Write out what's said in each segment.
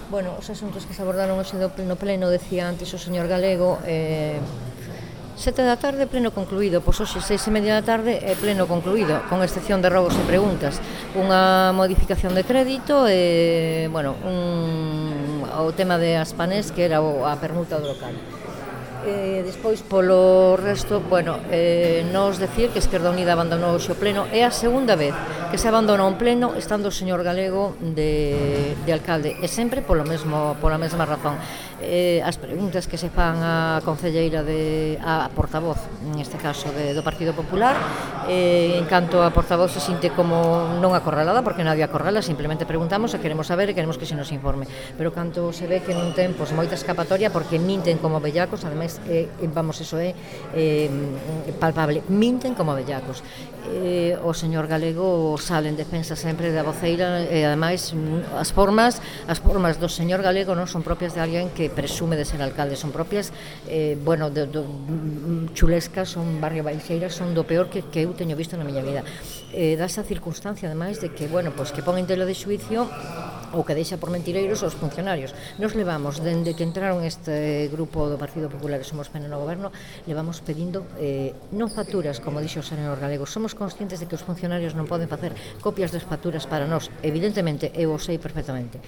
Bueno, os asuntos que se abordaron hoxe no pleno, decía antes o señor Galego, 7 da tarde, pleno concluído. Pois hoxe 6:30 da tarde é pleno concluído, con excepción de robos e preguntas. Unha modificación de crédito e, bueno, o tema de Aspanés, que era a permuta do local. Despois, polo resto, bueno, nos decir que Esquerda Unida abandonou hoxe o pleno. É a segunda vez que se abandona un pleno estando o señor Galego de alcalde, e sempre pola mesma razón. As preguntas que se fan á concelleira a portavoz, neste caso do Partido Popular, en canto a portavoz se sinte como non acorralada, porque nadie acorrala, simplemente preguntamos e queremos saber e queremos que se nos informe, pero canto se ve que non ten moita escapatoria, porque minten como bellacos. Ademais, eso é palpable, minten como bellacos. O señor Galego sale en defensa sempre da voceira, e ademais as formas do señor Galego non son propias de alguén que presume de ser alcalde, son propias, chulescas, son barrio baixeiras, son do peor que eu teño visto na miña vida. Dá esa circunstancia, ademais, de que, bueno, pois que pon en tela de xuicio ou que deixa por mentireiros aos funcionarios. Nos levamos, dende que entraron este grupo do Partido Popular e Somos PN no goberno, levamos pedindo non facturas, como dixo o señor Galego. Somos conscientes de que os funcionarios non poden facer copias das facturas para nós, evidentemente, eu o sei perfectamente.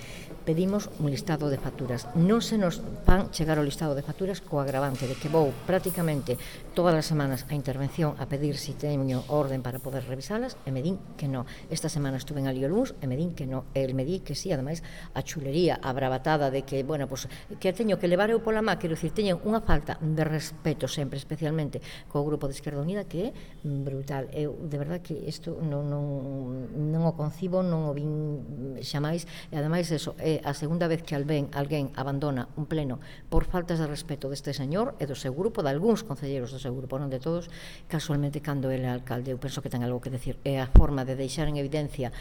Pedimos un listado de facturas. Non se nos van chegar o listado de facturas co agravante de que vou prácticamente todas as semanas a intervención a pedir se teño orden para poder revisalas, e me din que non. Esta semana estuve en Alí o luns e me din que non. El me di que sí. Ademais, a chulería, a bravatada de que, bueno, pues, que teño que levar eu pola má, quero dicir, teñen unha falta de respeto sempre, especialmente co grupo de Esquerda Unida, que é brutal. Eu, de verdad, que isto non o concibo, non o vin xamais, e ademais, eso, é a segunda vez que alguén abandona un pleno por faltas de respeto deste señor e do seu grupo, de algúns concelleiros do seu grupo, non de todos, casualmente cando ele é alcalde. Eu penso que ten algo que decir. É a forma de deixar en evidencia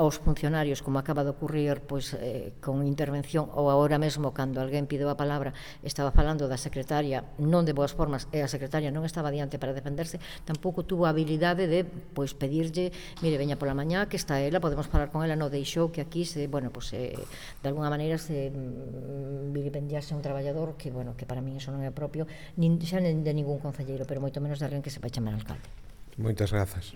aos funcionarios, como acaba de ocurrir, pois, con intervención, ou agora mesmo cando alguén pideu a palabra, estaba falando da secretaria non de boas formas, e a secretaria non estaba diante para defenderse, tampouco tuvo a habilidade de, pois, pedirlle, mire, veña pola mañá, que está ela, podemos falar con ela. Non deixou que aquí se, bueno, pois, de alguna maneira se vilipendiase un traballador que, bueno, que para min iso non é propio, xa de ningún concelleiro, pero moito menos de alguén que se vai chamar alcalde. Moitas grazas.